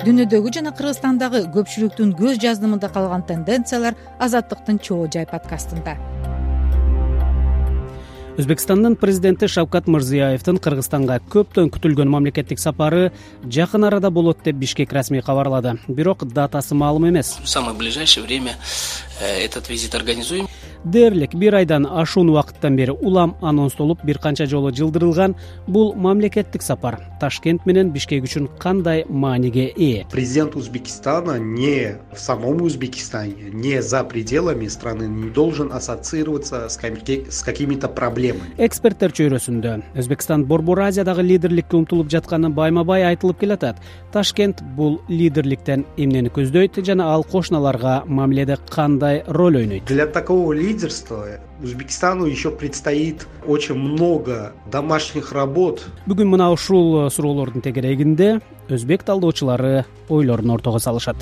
Дүйнөдөгү жана Кыргызстандагы көпчүлүктүн көз жаздымында калган тенденциялар Азаттыктын Чоо жай подкастында. Өзбекстандын президенти Шавкат Мирзиёевдин Кыргызстанга көптөн күтүлгөн мамлекеттик сапары жакын арада болот деп Бишкек расмий кабарлады. Бирок датасы маалым эмес. В самое ближайшее время этот визит организуем. Дээрлик бир айдан ашуун убакыттан бери улам анонстолуп бир канча жолу жылдырылган бул мамлекеттик сапар Ташкент менен Бишкек үчүн кандай мааниге ээ? Президент Узбекистана не в самом Узбекистане, не за пределами страны не должен ассоциироваться с какими-то проблемами. Эксперттер чөйрөсүндө Өзбекстан Борбор Азиядагы лидерликке умтулуп жатканы байма-бай айтылып келатат. Ташкент бул лидерликтен эмнени көздөйт жана ал кошуналарга мамиледе кандай роль ойнойт? Для такого лидерства Узбекистану еще предстоит очень много домашних работ. Бүгүн мына ушул суроолордун тегерегинде өзбек талдоочулары ойлорун ортого салышат.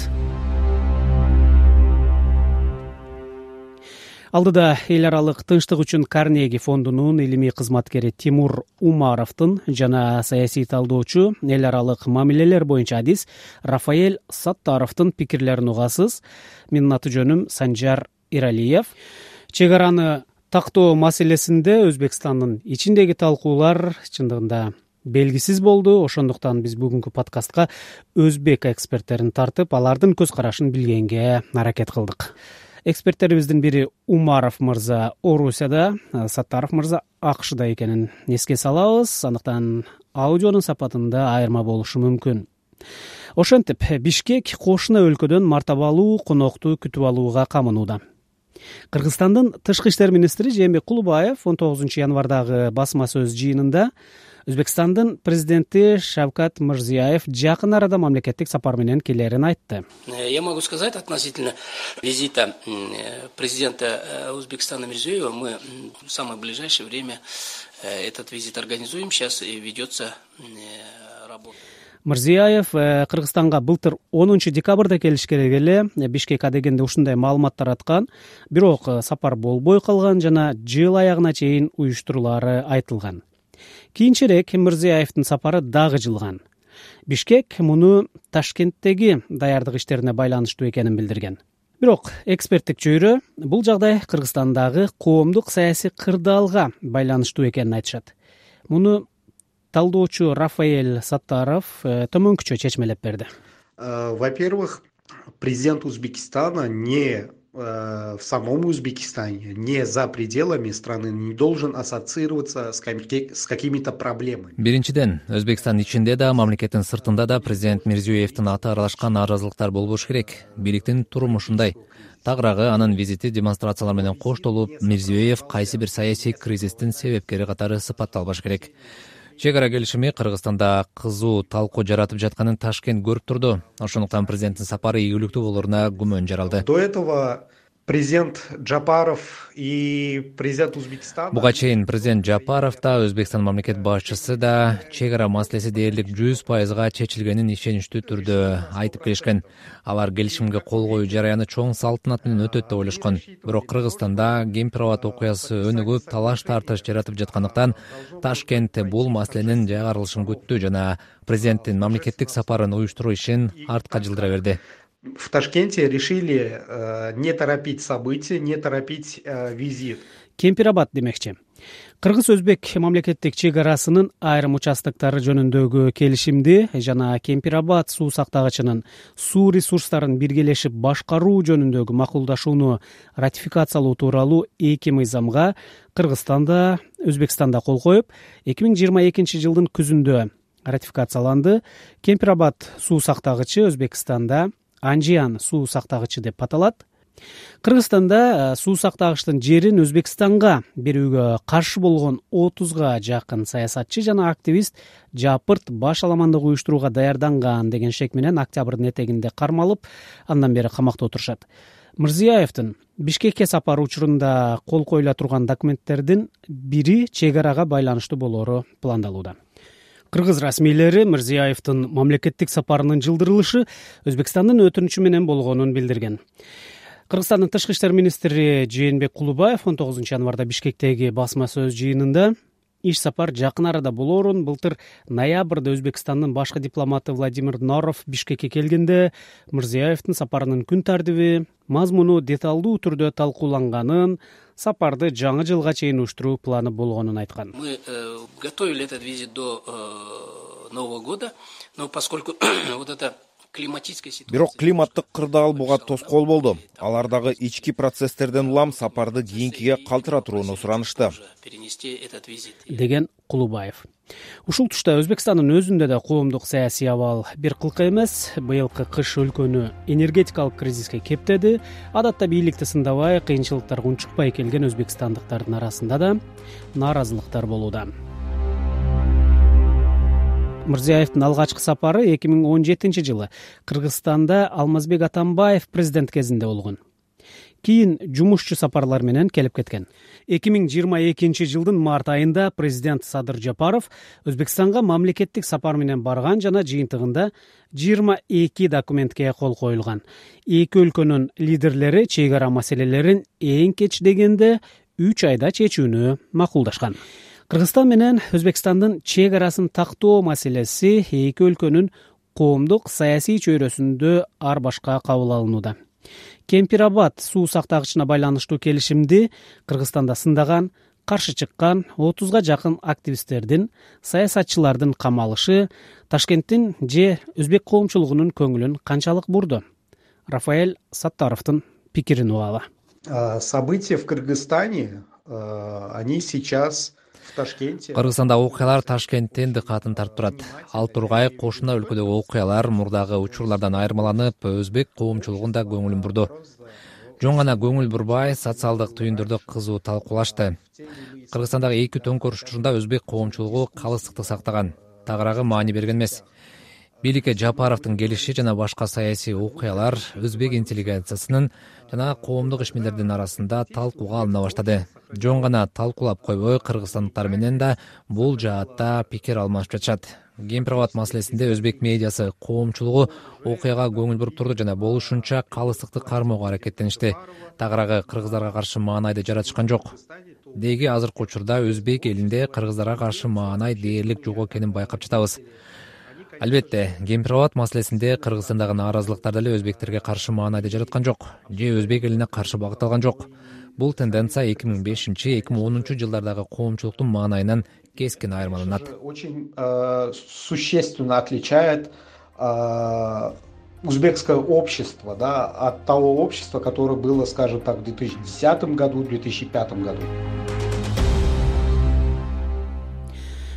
Алдыда эл аралык тынчтык үчүн Карнеги фондунун илимий кызматкери Тимур Умаровдун жана саясий талдоочу, эл аралык мамилелер боюнча адис Рафаэль Саттаровдун пикирлерин угасыз. Менин аты жөнүм Санжар Иралиев. Чек араны тактоо маселесинде Өзбекстандын ичиндеги талкуулар чындыгында белгисиз болду. Ошондуктан биз бүгүнкү подкастка өзбек эксперттерин тартып, алардын көз карашын билгенге аракет кылдык. Эксперттерибиздин бири Умаров мырза Орусияда, Саттаров мырза АКШда экенин эске салабыз. Андыктан аудионун сапатында айырма болушу мүмкүн. Ошентип, Бишкек кошуна өлкөдөн мартабалуу конокту күтүп алууга камынууда. Кыргызстандын тышкы иштер министри Жээнбек Кулубаев 19 январдагы басма сөз жыйынында Өзбекстандын президенти Шавкат Мирзиёев жакын арада мамлекеттик сапар менен келерин айтты. Я могу сказать относительно визита президента Узбекистана Мирзиёева, мы в самое ближайшее время этот визит организуем. Сейчас ведется работа. Мирзиёев Кыргызстанга былтыр 10 декабрда келиш керек эле. Бишкек адегенде ушундай маалымат тараткан. Бирок сапар болбой калган жана жыл аягына чейин уюштурулаары айтылган. Кийинчерээк Мирзиёевдин сапары дагы жылган. Бишкек муну Ташкенттеги даярдык иштерине байланыштуу экенин билдирген. Бирок эксперттик чөйрө бул жагдай Кыргызстандагы коомдук саясий кырдаалга байланыштуу экенин айтышат. Муну талдоочу Рафаэль Саттаров төмөнкүчө чечмелеп берди. Во-первых, президент Узбекистана не в самом Узбекистане, не за пределами страны не должен ассоциироваться с какими-то проблемами. Биринчиден, Өзбекстан ичинде да, мамлекеттин сыртында да президент Мирзиёевдин аты аралашкан наразылыктар болбош керек. Бийликтин туруму ушундай. Тагыраагы анын визити демонстрациялар менен коштолуп, Мирзиёев кайсы бир саясий кризистин себепкери катары сыпатталбаш керек. Чек ара келишими Кыргызстанда кызуу талкуу жаратып жатканын Ташкент көрүп турду. Ошондуктан президенттин сапары ийгиликтүү болоруна күмөн жаралды. До этого президент Джапаров и президент Узбекистана. Буга чейин президент Джапаров да, Өзбекстан мамлекет башчысы да чек ара маселеси дээрлик 100% чечилгенин ишеничтүү түрдө айтып келишкен. Алар келишимге кол коюу жараяны чоң салтанат менен өтөт деп ойлошкон. Бирок Кыргызстанда Гемпирабад окуясы өнүгүп, талаш тартыш жаратып жаткандыктан Ташкент бул маселенин жайгарылышын күттү жана президенттин мамлекеттик сапарын уюштуруу ишин артка жылдыра берди. В Ташкенте решили не торопить события, не торопить визит. Кемпирабад демекчи. Кыргыз-өзбек мамлекеттик чек арасынын айрым участоктары жөнүндөгү келишимди жана Кемпирабад суу сактагычынын суу ресурстарын биргелешип башкаруу жөнүндөгү макулдашууну ратификациялоо тууралуу 2 мыйзамга Кыргызстанда, Өзбекстанда кол коюп, 2022 жылдын күзүндө ратификацияланды. Кемпирабад суу сактагычы Өзбекстанда Анжиян суу сактагычы деп аталат. Кыргызстанда суу сактагычтын жерин Өзбекстанга берүүгө каршы болгон 30га жакын саясатчы жана активист жапырт баш аламандык уюштурууга даярданган деген шек менен октябрдын этегинде кармалып, андан бери камакта отурушат. Мирзиёевдин Бишкекке сапары учурунда кол коюла турган документтердин бири чек арага байланыштуу болоору пландалууда. Кыргыз расмийлери Мирзиёевдин мамлекеттик сапарынын жылдырылышы Өзбекстандын өтүнүчү менен болгонун билдирген. Кыргызстандын тышкы иштер министри Жээнбек Кулубаев 19 январда Бишкектеги басма сөз жыйынында иш сапар жакын арада болоорун былтыр ноябрда Өзбекстандын башкы дипломаты Владимир Норов Бишкекке келгенде Мирзиёевдин сапарынын күн тартиби, мазмуну деталдуу түрдө талкууланганын, сапарды жаңы жылга чейин уюштуруу планы болгонун айткан. Мы готовили этот визит до Нового года, но поскольку вот это бирок климаттык кырдаал буга тоскоол болду. Алардагы ички процесстерден улам сапарды кийинкиге калтыра турууну суранышты, деген Кулубаев. Ушул тушта Өзбекстандын өзүндө да коомдук саясий абал бир кылка эмес. Быйылкы кыш өлкөнү энергетикалык кризиске кептеди. Адатта бийликти сындабай, кыйынчылыктарга унчукпай келген өзбекстандыктардын арасында да нааразылыктар болууда. Мирзиёевдин алгачкы сапары 2017-жылы Кыргызстанда Алмазбек Атамбаев президент кезинде болгон. Кийин жумушчу сапарлар менен келип кеткен. 2022-жылдын март айында президент Садыр Жапаров Өзбекстанга мамлекеттик сапар менен барган жана жыйынтыгында 22 документке кол коюлган. Эки өлкөнүн лидерлери чек ара маселелерин эң кеч дегенде 3 айда чечүүнү макулдашкан. Кыргызстан менен Өзбекстандын чек арасын тактоо маселеси эки өлкөнүн коомдук саясий чөйрөсүндө ар башка кабыл алынууда. Кемпирабад суу сактагычына байланыштуу келишимди Кыргызстанда сындаган, каршы чыккан 30га жакын активисттердин, саясатчылардын камалышы Ташкенттин же өзбек коомчулугунун көңүлүн канчалык бурду? Рафаэль Саттаровдун пикирин угалы. События в Кыргызстане, они сейчас в Ташкенте. Кыргызстанда окуялар Ташкенттин дыкатын тартып турат. Ал тургай кошуна өлкөдөгү окуялар мурдагы учурлардан айырмаланып, өзбек коомчулугунда көңүлүн бурду. Жөн гана көңүл бурбай, социалдык түйүндөрдө кызуу талкуулашты. Кыргызстандагы эки төңкөрүш учурунда өзбек коомчулугу калыстыкты сактаган, тагыраагы маани берген эмес. Бийликке Жапаровдун келиши жана башка саясий окуялар өзбек интеллигенциясынын жана коомдук ишмерлердин арасында талкууга алына баштады. Жөн гана талкуулап койбой, кыргызстандыктар менен да бул жаатта пикир алмашып жатышат. Кемпирабад маселесинде өзбек медиасы коомчулугу окуяга көңүл буруп турду жана болушунча калыстыкты кармоого аракеттеништи. Тагыраагы кыргыздарга каршы маанайды жаратышкан жок. Деги азыркы учурда өзбек элинде кыргыздарга каршы маанай дээрлик жок экенин байкап жатабыз. Албетте, Кемпирабад маселесинде Кыргызстандагы нааразылыктар деле өзбектерге каршы маанайды жараткан жок, же өзбек элине каршы багытталган жок. Бул тенденция 2005-2010 жылдардагы коомчулуктун маанайынан кескин айырмаланат. Очень существенно отличает узбекское общество, да, от того общества, которое было, скажем так, в 2010 году, в 2005 году.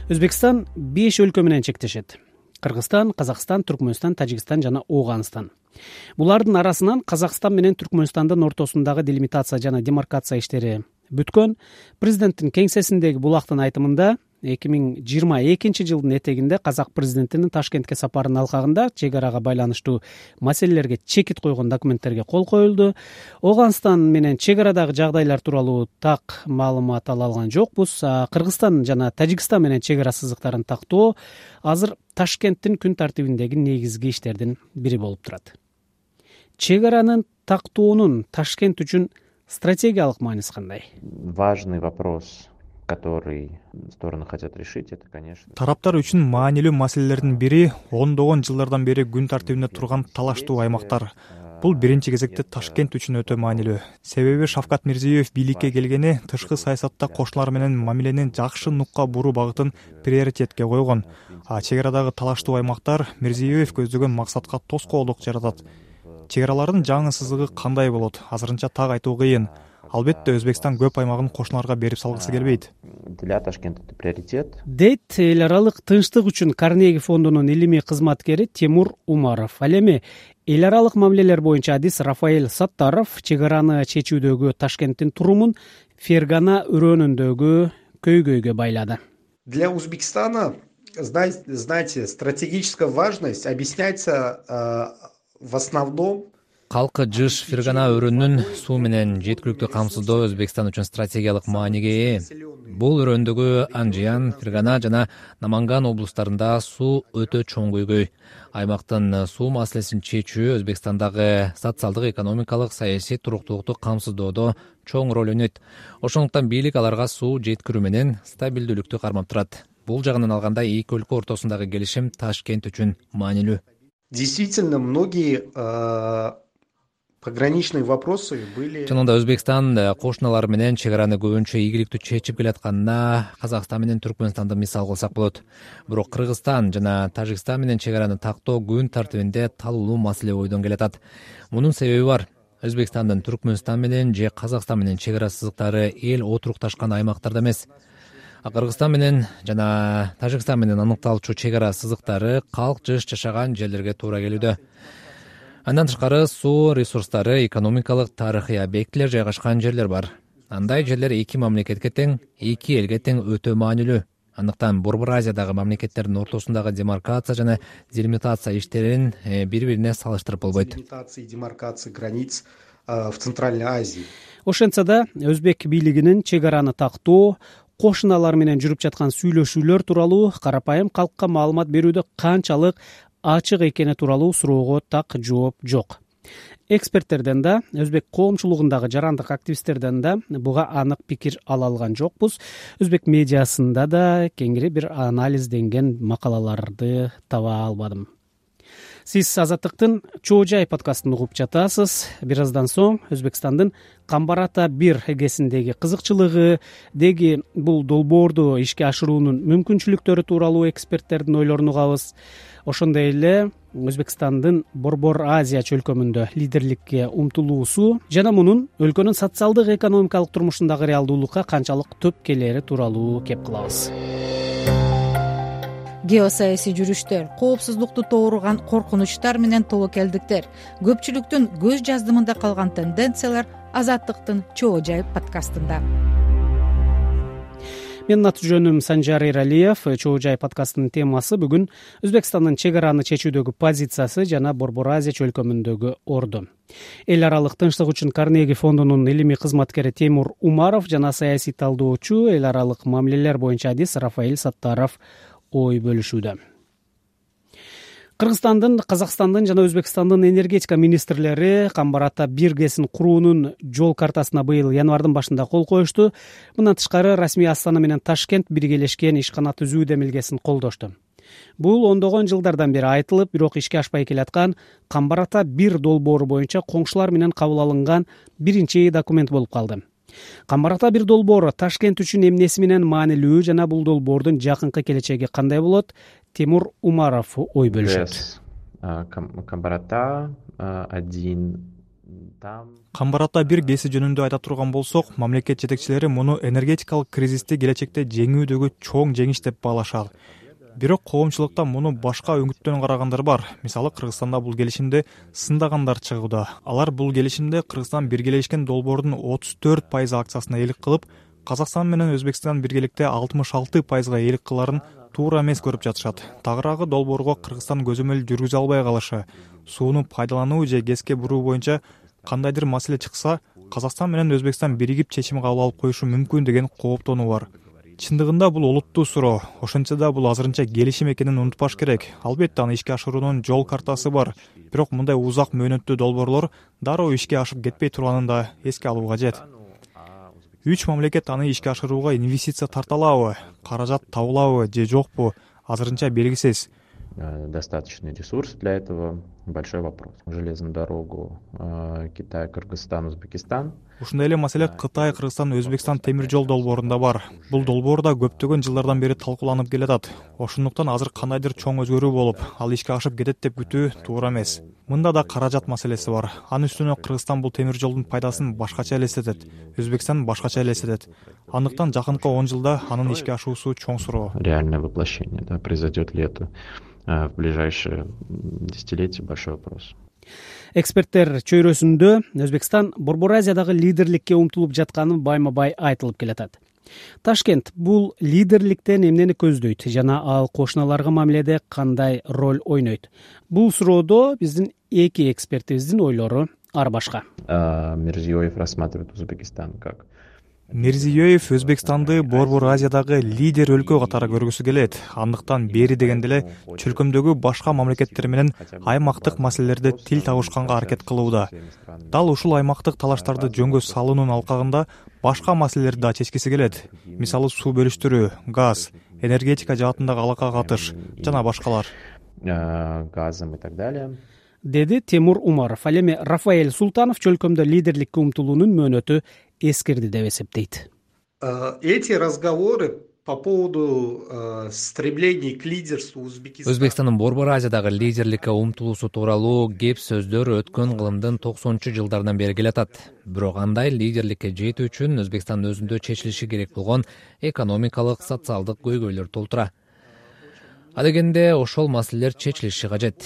Өзбекстан 5 өлкө менен чектешет. Кыргызстан, Казакстан, Түркмөнстан, Тажикстан жана Оганстан. Булардын арасынан Казакстан менен Түркмөнстандын ортосундагы делимитация жана демаркация иштери бүткөн. Президенттин кеңсесиндеги булактын айтымында 2022 жылдын этегинде Казак президентинин Ташкентке сапарынын алкагында чек арага байланыштуу маселелерге чекит койгон документтерге кол коюлду. Оганстан менен чек арадагы жагдайлар тууралуу так маалымат ала алган жокпуз. Кыргызстан жана Тажикстан менен чек ара сызыктарын тактоо азыр Ташкенттин күн тартибиндеги негизги иштердин бири болуп турат. Чек аранын тактоонун Ташкент үчүн стратегиялык мааниси кандай? Важный вопрос, который стороны хотят решить, это, конечно. Тараптар үчүн маанилүү маселелердин бири ондогон жылдардан бери күн тартибинде турган талаштуу аймактар. Бул биринчи кезекте Ташкент үчүн өтө маанилүү. Себеби Шавкат Мирзиёев бийликке келгени тышкы саясатта кошуналар менен мамилени жакшы нукка буруу багытын приоритетке койгон. Чек арадагы талаштуу аймактар Мирзиёев көздөгөн максатка тоскоолдук жаратат. Чек аралардын жаңы сызыгы кандай болот? Азырынча так айтуу кыйын. Албетте Өзбекстан көп аймагын кошуналарга берип салгысы келбейт. Для Ташкента это приоритет. Дейт эл аралык тынчтык үчүн Карнеги фондунун илимий кызматкери Тимур Умаров. Ал эми эл аралык мамилелер боюнча адис Рафаэль Саттаров чек араны чечүүдөгү Ташкенттин турумун Фергана өрөөнүндөгү көйгөйгө байлады. Для Узбекистана, знаете, стратегическая важность объясняется в основном. калкы жыш Фергана өрөөнүн суу менен жеткиликтүү камсыздоо Өзбекстан үчүн стратегиялык мааниге ээ. Бул өрөөндөгү Анжиян, Фергана жана Наманган облустарында суу өтө чоң көйгөй. Аймактын суу маселесин чечүү Өзбекстандагы социалдык, экономикалык, саясий туруктуулукту камсыздоодо чоң роль ойнойт. Ошондуктан бийлик аларга суу жеткирүү менен стабилдүүлүктү кармап турат. Бул жагынан алганда эки өлкө ортосундагы келишим Ташкент үчүн маанилүү. Действительно, многие пограничные вопросы были. Чынында Өзбекстан кошуналары менен чек араны көбүнчө ийгиликтүү чечип келатканына Казакстан менен Түркмөнстанды мисал кылсак болот. Бирок Кыргызстан жана Тажикстан менен чек араны тактоо күн тартибинде талуулуу маселе бойдон келатат. Мунун себеби бар. Өзбекстандын Түркмөнстан менен же Казакстан менен чек ара сызыктары эл отурукташкан аймактарда эмес. Кыргызстан менен жана Тажикстан менен аныкталчу чек ара сызыктары калк жыш жашаган жерлерге туура келүүдө. Андан тышкары суу ресурстары, экономикалык, тарыхый объектилер жайгашкан жерлер бар. Андай жерлер эки мамлекетке тең, эки элге тең өтө маанилүү. Андыктан Борбор Азиядагы мамлекеттердин ортосундагы демаркация жана делимитация иштерин бири-бирине салыштырып болбойт. Демаркация границ в Центральной Азии. Ошентсе да өзбек бийлигинин чек араны тактоо, кошуналар менен жүрүп жаткан сүйлөшүүлөр тууралуу карапайым калкка маалымат берүүдө канчалык ачык экени тууралуу суроого так жооп жок. Эксперттерден да, өзбек коомчулугундагы жарандык активисттерден да буга анык пикир ала алган жокпуз. Өзбек медиасында да кеңири бир анализденген макалаларды таба албадым. Сиз Азаттыктын Чоо Жай подкастын угуп жатасыз. Бир аздан соң Өзбекстандын Камбар-Ата 1 эгесиндеги кызыкчылыгы, деги бул долбоорду ишке ашыруунун мүмкүнчүлүктөрү тууралуу эксперттердин ойлорун угабыз. Ошондой эле Өзбекстандын Борбор Азия чөлкөмүндө лидерликке умтулуусу жана мунун өлкөнүн социалдык, экономикалык турмушундагы реалдуулукка канчалык төп келери тууралуу кеп кылабыз. Геосаясий жүрүштөр, коопсуздукту тууруган коркунучтар менен тобокелдиктер, көпчүлүктүн көз жаздымында калган тенденциялар Азаттыктын Чоо Жай подкастында. Менин аты жөнүм Санжар Эралиев. Чоо Жай подкастынын темасы бүгүн Өзбекстандын чек араны чечүүдөгү позициясы жана Борбор Азия чөлкөмүндөгү орду. Эл аралык тынчтык үчүн Карнеги фондунун илимий кызматкери Темур Умаров жана саясий талдоочу, эл аралык мамилелер боюнча адис Рафаэль Саттаров ой бөлүшүүдө. Кыргызстандын, Казакстандын жана Өзбекстандын энергетика министрлери Камбар-Ата 1 ГЭСин куруунун жол картасына быйыл январдын башында кол коюшту. Мындан тышкары расмий Астана менен Ташкент биргелешкен ишкана түзүү демилгесин колдошту. Бул ондогон жылдардан бери айтылып, бирок ишке ашпай келаткан Камбар-Ата 1 долбоору боюнча коңшулар менен кабыл алынган биринчи документ болуп калды. Камбар-Ата 1 долбоору Ташкент үчүн эмнеси менен маанилүү жана бул долбоордун жакынкы келечеги кандай болот? Темур Умаров ой бөлүшөт. Камбар-Ата 1 Камбар-Ата 1 ГЭСи жөнүндө айта турган болсок, мамлекет жетекчилери муну энергетикалык кризисти келечекте жеңүүдөгү чоң жеңиш деп баалашат. Бирок коомчулукта муну башка өңүттөн карагандар бар. Мисалы, Кыргызстанда бул келишимди сындагандар чыгууда. Алар бул келишимде Кыргызстан биргелешкен долбоордун 34% акциясынаээлик кылып, Казакстан менен Өзбекстан биргеликте 66%га eelik кыларын туура эмес көрүп жатышат. Тагыраагы долбоорго Кыргызстан көзөмөл жүргүзө албай калышы, сууну пайдалануу же ГЭСке буруу боюнча кандайдыр маселе чыкса, Казакстан менен Өзбекстан биригип чечим кабыл алып коюшу мүмкүн деген кооптонуу бар. Чындыгында бул олуттуу суроо. Ошентсе да бул азырынча келишим экенин унутпаш керек. Албетте аны ишке ашыруунун жол картасы бар. Бирок мындай узак мөөнөттүү долбоорлор дароо ишке ашып кетпей турганын да эске алуу кажет. 3 мамлекет аны ишке ашырууга инвестиция тарта алабы, каражат табылабы же жокпу, азырынча белгисиз. Достаточный ресурс для этого — большой вопрос. Железную дорогу Китай, Кыргызстан, Узбекистан. Ушундай эле маселе Кытай, Кыргызстан, Өзбекстан темир жол долбоорунда бар. Бул долбоор да көптөгөн жылдардан бери талкууланып келатат. Ошондуктан азыр кандайдыр чоң өзгөрүү болуп, ал ишке ашып кетет деп күтүү туура эмес. Мында да каражат маселеси бар. Анын үстүнө Кыргызстан бул темир жолдун пайдасын башкача элестетет, Өзбекстан башкача элестетет. Андыктан жакынкы 10 жылда анын ишке ашуусу чоң суроо. Реальное воплощение, да, произойдет ли это в ближайшие десятилетия — большой вопрос. Эксперттер чөйрөсүндө Өзбекстан Борбор Азиядагы лидерликке умтулуп жатканын байма-бай айтылып келатат. Ташкент бул лидерликтен эмнени көздөйт жана ал кошуналарга мамиледе кандай роль ойнойт? Бул суроодо биздин эки экспертибиздин ойлору ар башка. Мирзиёев рассматривает Узбекистан как Мирзиёев Өзбекстанды Борбор Азиядагы лидер өлкө катары көргүсү келет. Андыктан бери дегенде эле чөлкөмдөгү башка мамлекеттер менен аймактык маселелерде тил табышканга аракет кылууда. Дал ушул аймактык талаштарды жөнгө салуунун алкагында башка маселелерди да чечкиси келет. Мисалы суу бөлүштүрүү, газ, энергетика жаатындагы алака катыш жана башкалар. газом и так далее. Деди Тимур Умаров. Ал эми Рафаэль Султанов чөлкөмдө лидерликке умтулуунун мөөнөтү эскирди деп эсептейт. Эти разговоры по поводу стремлений к лидерству Узбекистана. Өзбекстандын Борбор Азиядагы лидерликке умтулуусу тууралуу кеп сөздөр өткөн кылымдын 90-жылдардан бери келатат. Бирок андай лидерликке жетүү үчүн Өзбекстандын өзүндө чечилиши керек болгон экономикалык, социалдык көйгөйлөр толтура. Адегенде ошол маселелер чечилиши кажет.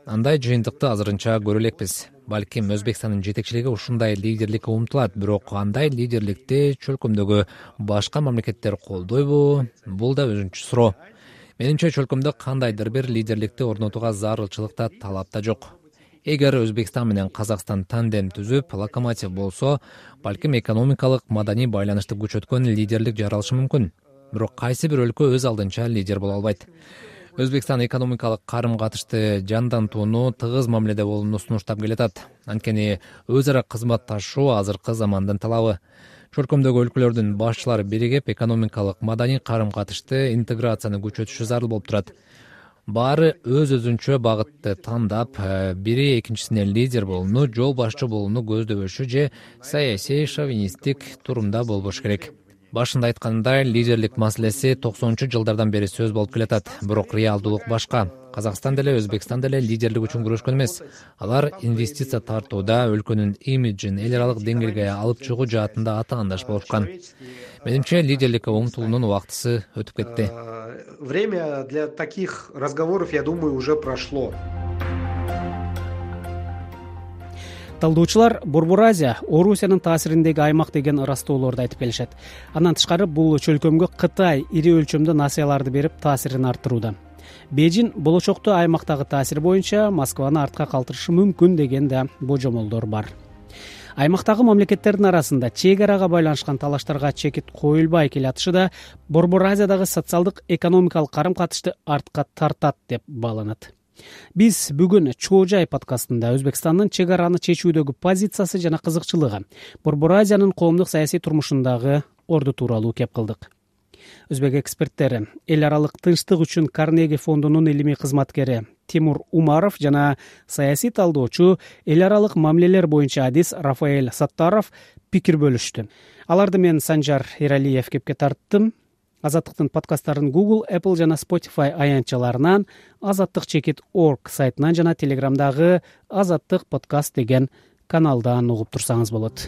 Андай жыйынтыкты азырынча көрө элекпиз. Балким Өзбекстандын жетекчилиги ушундай лидерликке умтулат, бирок андай лидерликти чөлкөмдөгү башка мамлекеттер колдойбу? Бул да өзүнчө суроо. Менимче чөлкөмдө кандайдыр бир лидерликти орнотууга зарылчылык да талап да жок. Эгер Өзбекстан менен Казакстан тандем түзүп, локомотив болсо, балким экономикалык, маданий байланышты күчөткөн лидерлик жаралышы мүмкүн. Бирок кайсы бир өлкө өз алдынча лидер боло албайт. Өзбекстан экономикалык карым-катышты жандантууну тыгыз мамиледе болууну сунуштап келатат. Анткени өз ара кызматташуу азыркы замандын талабы. Чөлкөмдөгү өлкөлөрдүн башчылары биригип, экономикалык, маданий карым-катышты интеграцияны күчөтүшү зарыл болуп турат. Баары өз-өзүнчө багытты тандап, бири экинчисине лидер болууну, жол башчы болууну көздөбөшү же саясий шовинисттик турумда болбош керек. Башында айткандай, лидерлик маселеси 90-жылдардан бери сөз болуп келатат, бирок реалдуулук башка. Казакстан деле, Өзбекстан деле лидерлик үчүн күрөшкөн эмес. Алар инвестиция тартууда, өлкөнүн имиджин эл аралык деңгээлге алып чыгуу жаатында атаандаш болушкан. Менимче лидерликке умтулуунун убактысы өтүп кетти. Время для таких разговоров, я думаю, уже прошло. Талдоочулар Борбор Азия Орусиянын таасириндеги аймак деген ырастоолорду айтып келишет. Андан тышкары бул чөлкөмгө Кытай ири өлчөмдө насыяларды берип таасирин арттырууда. Бейжин болочокто аймактагы таасир боюнча Москваны артка калтырышы мүмкүн деген да божомолдор бар. Аймактагы мамлекеттердин арасында чек арага байланышкан талаштарга чекит коюлбай келатышы да Борбор Азиядагы социалдык экономикалык карым-катышты артка тартат деп бааланат. Биз бүгүн Чоо Жай подкастында Өзбекстандын чек араны чечүүдөгү позициясы жана кызыкчылыгы, Борбор Азиянын коомдук саясий турмушундагы орду тууралуу кеп кылдык. Өзбек эксперттери, эл аралык тынчтык үчүн Карнеги фондунун илимий кызматкери Тимур Умаров жана саясий талдоочу, эл аралык мамилелер боюнча адис Рафаэль Саттаров пикир бөлүштү. Аларды мен Санжар Эралиев кепке тарттым. Азаттыктын подкасттарын Google, Apple жана Spotify аянтчаларынан, azattik.org сайтынан жана Телеграмдагы Азаттык подкаст деген каналдан угуп турсаңыз болот.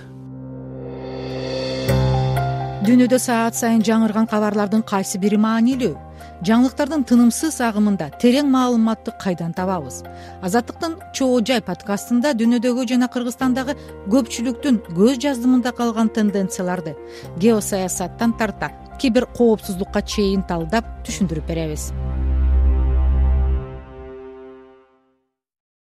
Дүйнөдө саат сайын жаңырган кабарлардын кайсы бири маанилүү? Жаңылыктардын тынымсыз агымында терең маалыматты кайдан табабыз? Азаттыктын Чоо Жай подкастында дүйнөдөгү жана Кыргызстандагы көпчүлүктүн көз жаздымында калган тенденцияларды геосаясаттан тарта кибер коопсуздукка чейин талдап түшүндүрүп беребиз.